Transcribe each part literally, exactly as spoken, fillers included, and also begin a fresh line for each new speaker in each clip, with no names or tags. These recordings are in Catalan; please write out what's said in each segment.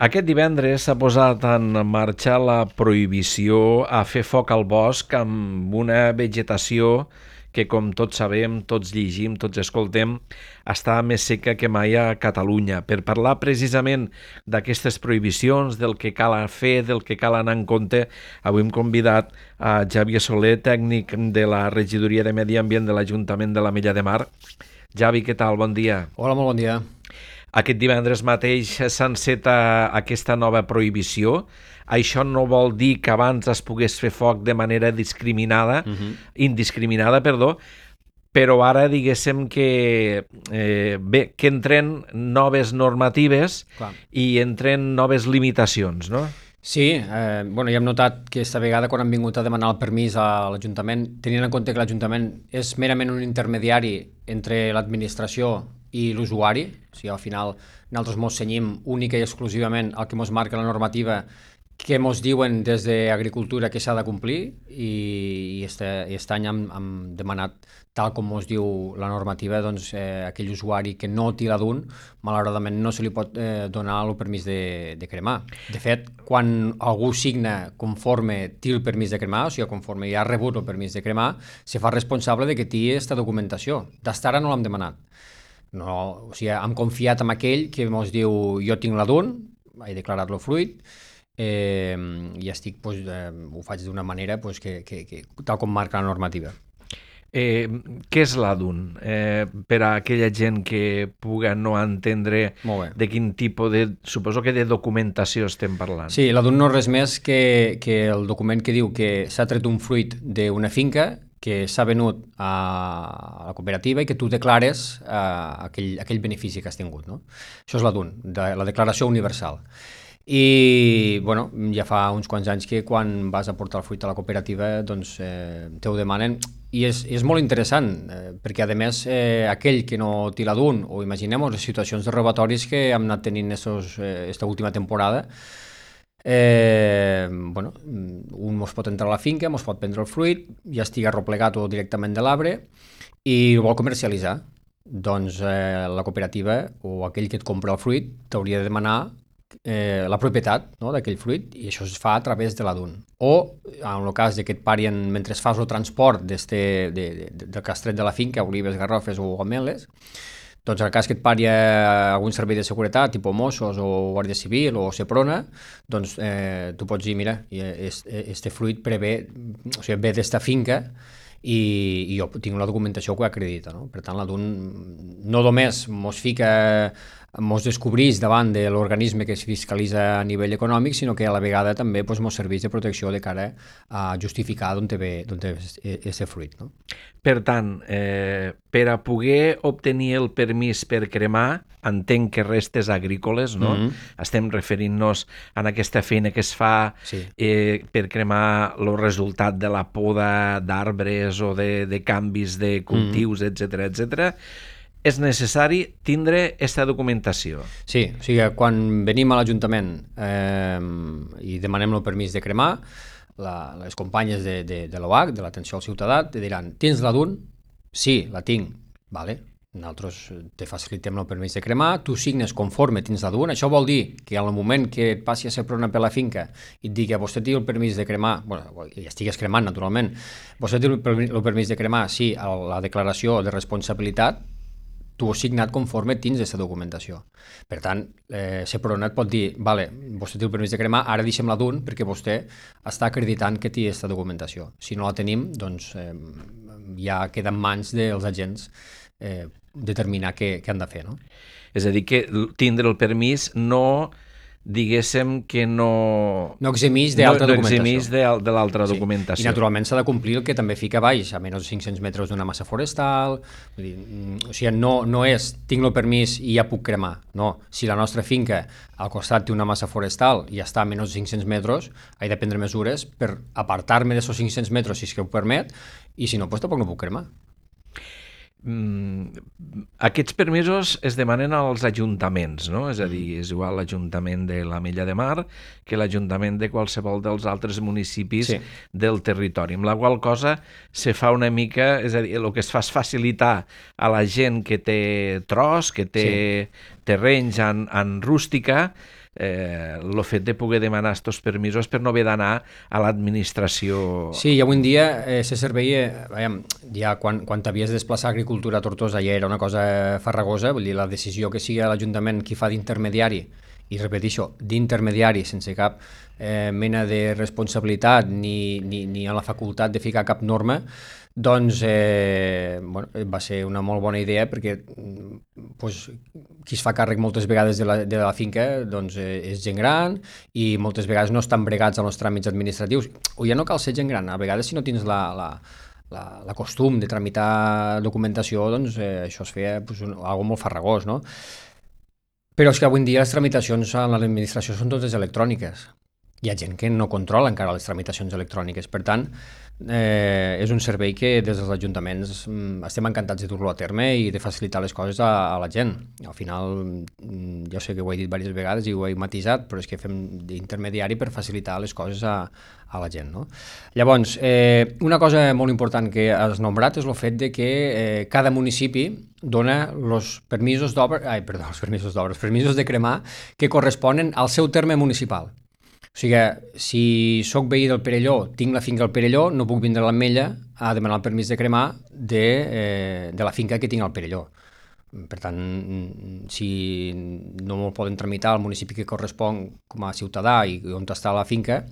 Aquest divendres s'ha posat en marxa la prohibició a fer foc al bosc amb una vegetació que, com tots sabem, tots llegim, tots escoltem, està més seca que mai a Catalunya. Per parlar precisament d'aquestes prohibicions, del que cal fer, del que cal anar en compte, avui hem convidat a Xavier Soler, tècnic de la Regidoria de Medi Ambient de l'Ajuntament de l'Ametlla de Mar. Xavi, què tal? Bon dia.
Hola, molt bon dia.
Aquest divendres mateix s'enceta aquesta nova prohibició. Això no vol dir que abans es pogués fer foc de manera discriminada, uh-huh. indiscriminada, perdó, però ara diguéssim que, eh, bé, que entren noves normatives Clar. i entren noves limitacions, no?
Sí, eh, bueno, ja hem notat que aquesta vegada quan han vingut a demanar el permís a l'Ajuntament, tenint en compte que l'Ajuntament és merament un intermediari entre l'administració i l'usuari, o sigui, al final nosaltres mos cenyim única i exclusivament al que mos marca la normativa que mos diuen des d'Agricultura que s'ha de complir i, i, este, i aquest any hem, hem demanat, tal com mos diu la normativa, doncs eh, aquell usuari que no té la D U N, malauradament no se li pot eh, donar el permís de, de cremar. De fet, quan algú signa conforme té el permís de cremar, o sigui, conforme ja ha rebut el permís de cremar, se fa responsable de que té aquesta documentació. D'estar ara no l'hem demanat. No, o sigui, hem confiat en aquell que ens diu jo tinc la D U N, he declarat el fruit, eh, i estic, pues, eh, ho faig d'una manera pues, que, que, que, tal com marca la normativa.
Eh, què és la D U N? Eh, per a aquella gent que puga no entendre de quin tipus de... Suposo que de documentació estem parlant.
Sí, la D U N no és res més que, que el document que diu que s'ha tret un fruit d'una finca que s'ha venut a la cooperativa i que tu declares eh, aquell, aquell benefici que has tingut. No? Això és la D U N, de, la Declaració Universal. I bueno, ja fa uns quants anys que quan vas a portar el fruit a la cooperativa doncs eh, te ho demanen i és, és molt interessant eh, perquè a més eh, aquell que no té la D U N o imaginem les situacions de robatoris que hem anat tenint aquesta última temporada. Eh, bueno, un mos pot entrar a la finca, mos pot prendre el fruit, ja estigui arroplegat o directament de l'arbre i ho vol comercialitzar. Doncs eh, la cooperativa o aquell que et compra el fruit t'hauria de demanar eh, la propietat, no, d'aquell fruit i això es fa a través de la D U N. O en el cas de que et parien mentre fas el transport de, de, de, del castret de la finca, olives, garrofes o ameles, doncs en el cas que et pari algun servei de seguretat, tipus Mossos o Guàrdia Civil o Seprona, doncs eh, tu pots dir, mira, este fruit prevé, o sigui, ve d'esta finca i, i jo tinc la documentació que ho acredita. No? Per tant, la D U N no només mos fica, mos descobreix davant de l'organisme que es fiscalitza a nivell econòmic, sinó que a la vegada també doncs, mos serveix de protecció de cara a justificar d'on ve aquest fruit. No?
Per tant, eh, per a poder obtenir el permís per cremar, entenc que restes agrícoles, no? Mm-hmm. Estem referint-nos a aquesta feina que es fa sí. eh, per cremar el resultat de la poda d'arbres o de, de canvis de cultius, mm-hmm. etcètera, etcètera. És necessari tindre aquesta documentació.
Sí, o sigui, quan venim a l'Ajuntament eh, i demanem el permís de cremar, la, les companyes de, de, de l'O H, de l'Atenció al Ciutadà, te diran, tens la D U N? Sí, la tinc. Vale. Nosaltres te facilitem el permís de cremar, tu signes conforme tens la D U N. Això vol dir que al moment que et passi a ser prona per la finca i et digui a vostè té el permís de cremar, bueno, ja estigues cremant naturalment, vostè té el permís de cremar, sí, a la declaració de responsabilitat, tu ho has signat conforme tens aquesta documentació. Per tant, eh, Seprona et pot dir, vale, vostè té el permís de cremar, ara deixem la D U N perquè vostè està acreditant que té aquesta documentació. Si no la tenim, doncs eh, ja queda en mans dels agents eh, determinar què, què han de fer. No?
És a dir, que tindre el permís no... diguéssim que no...
No eximís d'altra
no, no
documentació.
eximís de, de l'altra sí. documentació.
I naturalment s'ha de complir el que també fica baix, a menys de cinc-cents metres d'una massa forestal, vull dir, o sigui, no, no és tinc el permís i ja puc cremar, no. Si la nostra finca al costat té una massa forestal i està a menys de cinc-cents metres, he de prendre mesures per apartar-me d'aquests cinc-cents metres si és que ho permet, i si no, doncs tampoc no puc cremar.
Mm, aquests permisos es demanen als ajuntaments, no? És a dir, és igual l'Ajuntament de l'Ametlla de Mar que l'Ajuntament de qualsevol dels altres municipis sí. del territori, amb la qual cosa se fa una mica, és a dir, el que es fa és facilitar a la gent que té tros, que té sí. terrenys en, en rústica, eh, el fet de poder demanar aquests permisos per no haver d'anar a l'administració.
Sí, i avui en dia eh, se servei, eh, veiem, ja quan, quan t'havies de desplaçar a agricultura a Tortosa ja era una cosa farragosa, vull dir, la decisió que sigui l'Ajuntament qui fa d'intermediari, i repeteixo, d'intermediari sense cap eh, mena de responsabilitat ni, ni, ni a la facultat de ficar cap norma, doncs eh, bueno, va ser una molt bona idea perquè pues, qui es fa càrrec moltes vegades de la, de la finca doncs, eh, és gent gran i moltes vegades no estan bregats amb els tràmits administratius. O ja no cal ser gent gran, a vegades si no tens la, la, la, la costum de tramitar documentació, doncs eh, això es feia pues, un, algo molt farragós, no? Però és que avui en dia les tramitacions a l'administració són totes electròniques. Hi ha gent que no controla encara les tramitacions electròniques. Per tant, eh, és un servei que des dels ajuntaments mm, estem encantats de dur-lo a terme i de facilitar les coses a, a la gent. Al final, mm, jo sé que ho he dit diverses vegades i ho he matisat, però és que fem d'intermediari per facilitar les coses a, a la gent. No? Llavors, eh, una cosa molt important que has nombrat és el fet de que eh, cada municipi dona els permisos d'obra, ai, perdó, els permisos d'obra, els permisos de cremar que corresponen al seu terme municipal. O sigui, si sóc veí del Perelló, tinc la finca al Perelló, no puc vindre a l'Ametlla a demanar el permís de cremar de, eh, de la finca que tinc al Perelló. Per tant, si no me'l poden tramitar al municipi que correspon com a ciutadà i on està la finca,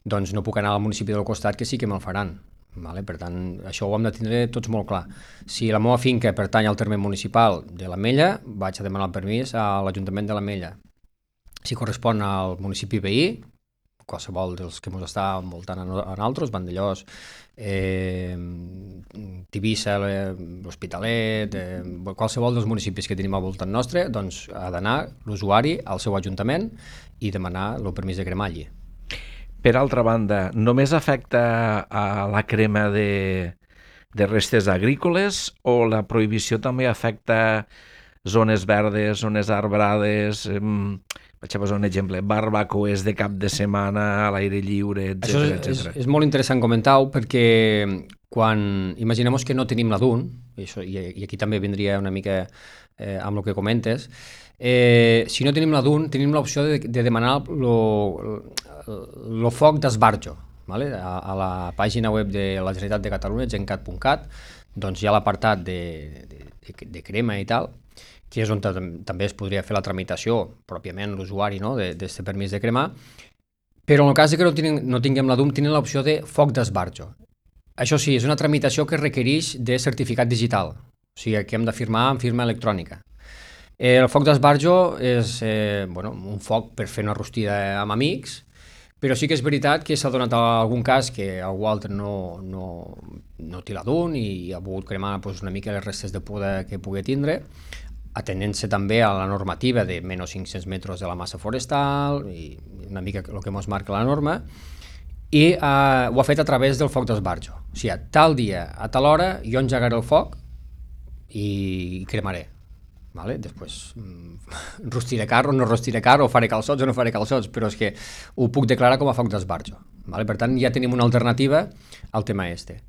doncs no puc anar al municipi del costat que sí que me'l faran. Vale? Per tant, això ho hem de tindre tots molt clar. Si la meva finca pertany al terme municipal de l'Ametlla, vaig a demanar el permís a l'Ajuntament de l'Ametlla. Si correspon al municipi veí, qualsevol dels que ens està envoltant a nosaltres, Vandellós, eh, Tivissa, l'Hospitalet, eh, qualsevol dels municipis que tenim al voltant nostre, doncs ha d'anar l'usuari al seu ajuntament i demanar el permís de cremar allí.
Per altra banda, només afecta a la crema de, de restes agrícoles o la prohibició també afecta zones verdes, zones arbrades, eh, vaig a posar un exemple, barbacoes de cap de setmana a l'aire lliure, etcètera, etcètera.
És, és molt interessant comentar-ho perquè quan imaginem que no tenim la D U N, i, això, i, i aquí també vindria una mica eh, amb el que comentes, eh, si no tenim la D U N tenim l'opció de, de demanar el foc d'esbarjo. Vale? A, a la pàgina web de la Generalitat de Catalunya, gencat punt cat, doncs hi ha l'apartat de, de, de, de crema i tal, que és on també es podria fer la tramitació, pròpiament l'usuari, no?, d'aquest permís de cremar, però en el cas que no, tinguem, no tinguem la D U M, tenen l'opció de foc d'esbarjo. Això sí, és una tramitació que requereix de certificat digital, o sigui que hem de firmar amb firma electrònica. El foc d'esbarjo és eh, bueno, un foc per fer una rostida amb amics, però sí que és veritat que s'ha donat algun cas que algú altre no, no, no té la D U N i ha volgut cremar doncs, una mica les restes de poda que pugui tindre, atenent-se també a la normativa de menys cinc-cents metres de la massa forestal i una mica el que ens marca la norma, i eh, ho ha fet a través del foc d'esbarjo. O sigui, tal dia, a tal hora, jo engegaré el foc i cremaré. Vale? Després, mm, rostiré carro, no rostiré carro, o faré calçots o no faré calçots, però és que ho puc declarar com a foc d'esbarjo. Vale? Per tant, ja tenim una alternativa al tema este.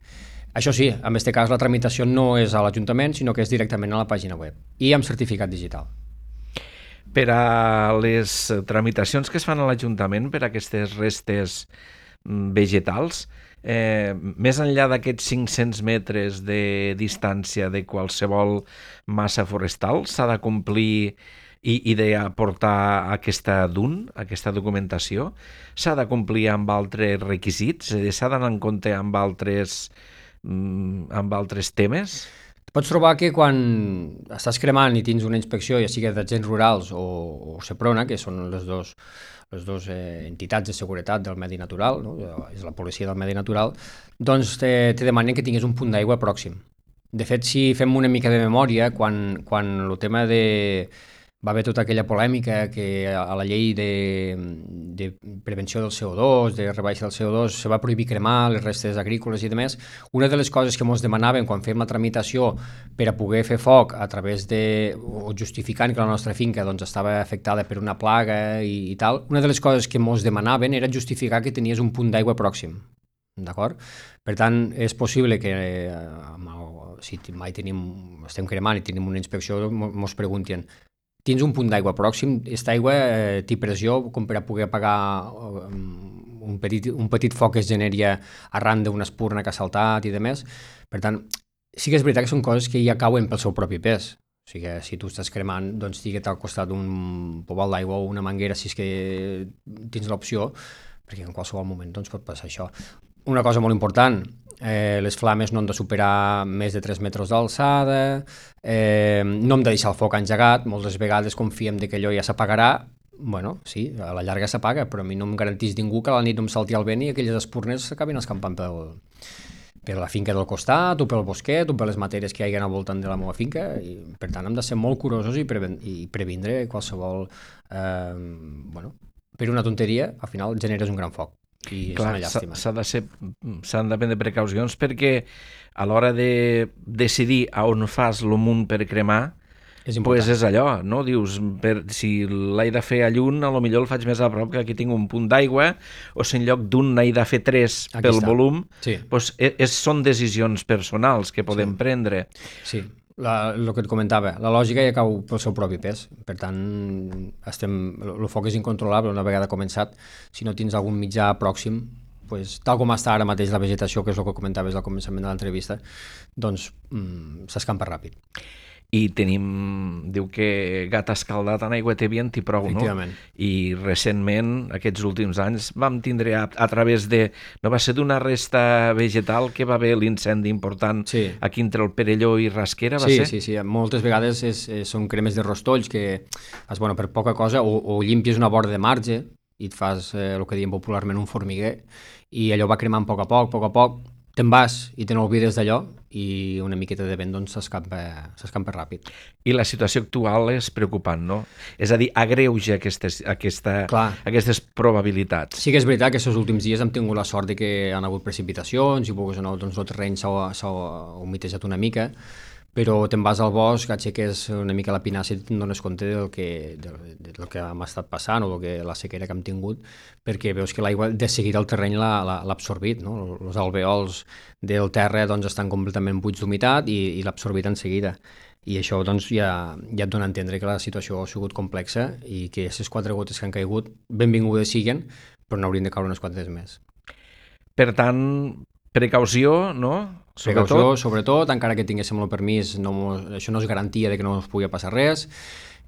Això sí, en aquest cas la tramitació no és a l'Ajuntament, sinó que és directament a la pàgina web i amb certificat digital.
Per a les tramitacions que es fan a l'Ajuntament per a aquestes restes vegetals, eh, més enllà d'aquests cinc-cents metres de distància de qualsevol massa forestal, s'ha de complir i, i d'aportar aquesta D U N, aquesta documentació, s'ha de complir amb altres requisits, s'ha d'anar en compte amb altres amb altres temes?
Pots trobar que quan estàs cremant i tens una inspecció, ja sigui d'agents rurals o, o Seprona, que són les dues les dues eh, entitats de seguretat del medi natural, no? És la policia del medi natural, doncs te, te demanen que tinguis un punt d'aigua pròxim. De fet, si fem una mica de memòria, quan, quan el tema de... va haver tota aquella polèmica que a la llei de, de prevenció del C O dos, de rebaixa del C O dos, se va prohibir cremar les restes agrícoles i demés. Una de les coses que ens demanaven quan fèiem la tramitació per a poder fer foc a través de, o justificant que la nostra finca doncs, estava afectada per una plaga i, i tal, una de les coses que ens demanaven era justificar que tenies un punt d'aigua pròxim. D'acord? Per tant, és possible que eh, si mai tenim, estem cremant i tenim una inspecció, ens preguntin tens un punt d'aigua pròxim, aquesta aigua eh, té pressió com per a poder apagar eh, un, petit, un petit foc que es genera arran d'una espurna que ha saltat i demés. Per tant, sí que és veritat que són coses que ja cauen pel seu propi pes. O sigui que si tu estàs cremant, doncs estigues al costat d'un pobal d'aigua o una manguera, si és que tens l'opció, perquè en qualsevol moment doncs, pot passar això. Una cosa molt important, eh, les flames no han de superar més de tres metres d'alçada, eh, no hem de deixar el foc engegat, moltes vegades confiem de que allò ja s'apagarà. Bueno, sí, a la llarga s'apaga, però a mi no em garanteix ningú que a la nit no em salti el vent i aquelles espurnes s'acabin escampant pel, per la finca del costat, o pel bosquet, o per les matèries que hi ha al voltant de la meva finca, i per tant hem de ser molt curosos i, preven i previndre qualsevol... Eh, bueno, per una tonteria, al final generes un gran foc. I
clar,
és una llàstima.
S'ha de ser, s'han de prendre precaucions perquè a l'hora de decidir a on fas el munt per cremar, és pues és allò, no? Dius, per, si l'he de fer a Lluny, a lo millor el faig més a prop, que aquí tinc un punt d'aigua, o si en lloc d'un n'he de fer tres aquí pel està. Volum, sí. Pues és, són decisions personals que podem sí. prendre.
Sí, la, el que et comentava, la lògica ja cau pel seu propi pes, per tant, estem, el foc és incontrolable una vegada començat. Si no tens algun mitjà pròxim, pues, tal com està ara mateix la vegetació, que és el que comentaves al començament de l'entrevista, doncs mm, s'escampa ràpid.
I tenim, diu que gat escaldat en aigua té vient i prou, no? I recentment, aquests últims anys, vam tindre a, a través de... No va ser d'una resta vegetal que va haver l'incendi important sí. aquí entre el Perelló i Rasquera, va
sí,
ser?
Sí, sí, moltes vegades és, és, són cremes de rostolls que, és, bueno, per poca cosa, o, o limpies una vora de marge i et fas eh, el que diem popularment un formiguer, i allò va cremant a poc a poc, a poc a poc, te'n vas i te n'oblides d'allò i una miqueta de vent doncs, s'escampa ràpid.
I la situació actual és preocupant, no? És a dir, agreuja aquestes, aquesta, aquestes probabilitats.
Sí que és veritat que aquests últims dies hem tingut la sort de que han hagut precipitacions i doncs, el terreny s'ha humitejat una mica, però te'n vas al bosc, aixeques una mica la pinassa i te'n dones compte del que, del, del que hem estat passant o del que, la sequera que hem tingut, perquè veus que l'aigua de seguida el terreny l'ha absorbit, no? Els alveols del terra doncs, estan completament buits d'humitat i, i l'ha absorbit en seguida. I això doncs, ja, ja et dona a entendre que la situació ha sigut complexa i que aquestes quatre gotes que han caigut benvingudes siguen, però n'haurien de caure unes quantes més.
Per tant, precaució, no?
Sobretot. Precaució, sobretot, encara que tinguéssim el permís, no, això no és garantia de que no ens pugui passar res.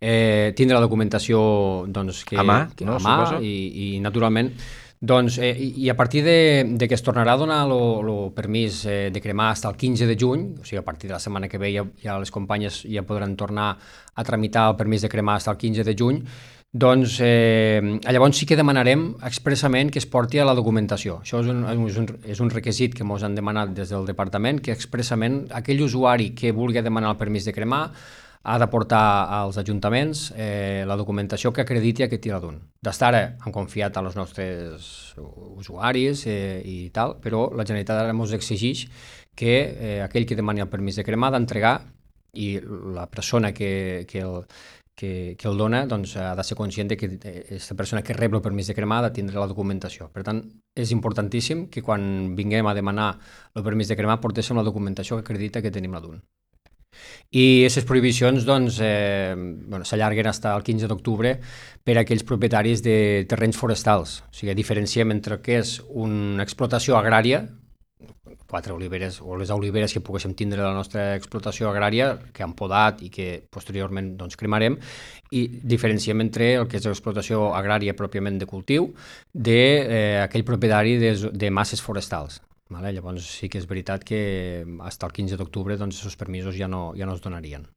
Eh, tindre la documentació doncs, que,
a mà,
que,
no,
a mà i, i naturalment doncs, eh, i a partir de, de que es tornarà a donar el permís eh, de cremar fins al quinze de juny, o sigui, a partir de la setmana que ve ja, ja les companyes ja podran tornar a tramitar el permís de cremar fins al quinze de juny, doncs eh, llavors sí que demanarem expressament que es porti a la documentació. Això és un, és un, és un requisit que ens han demanat des del departament, que expressament aquell usuari que vulgui demanar el permís de cremar ha de portar als ajuntaments eh, la documentació que acrediti aquest tiradun. D'estar ara han confiat als nostres usuaris eh, i tal, però la Generalitat ara ens exigeix que eh, aquell que demani el permís de cremar ha d'entregar i la persona que, que el Que, que el dona doncs, ha de ser conscient de que aquesta persona que rep el permís de cremar ha de tindre la documentació. Per tant, és importantíssim que quan vinguem a demanar el permís de cremar portéssim la documentació que acredita que tenim la D U N. I aquestes prohibicions doncs, eh, bueno, s'allarguen fins al quinze d'octubre per a aquells propietaris de terrenys forestals. O sigui, diferenciem entre el que és una explotació agrària, quatre oliveres o les oliveres que poguéssim tindre la nostra explotació agrària, que han podat i que posteriorment doncs, cremarem, i diferenciem entre el que és l'explotació agrària pròpiament de cultiu d'aquell eh, propietari de, de masses forestals. Vale? Llavors sí que és veritat que fins al quinze d'octubre doncs, els permisos ja no, ja no es donarien.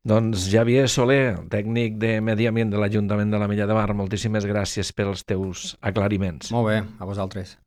Doncs Xavier Soler, tècnic de Medi Ambient de l'Ajuntament de l'Ametlla de Mar, moltíssimes gràcies pels teus aclariments.
Molt bé, a vosaltres.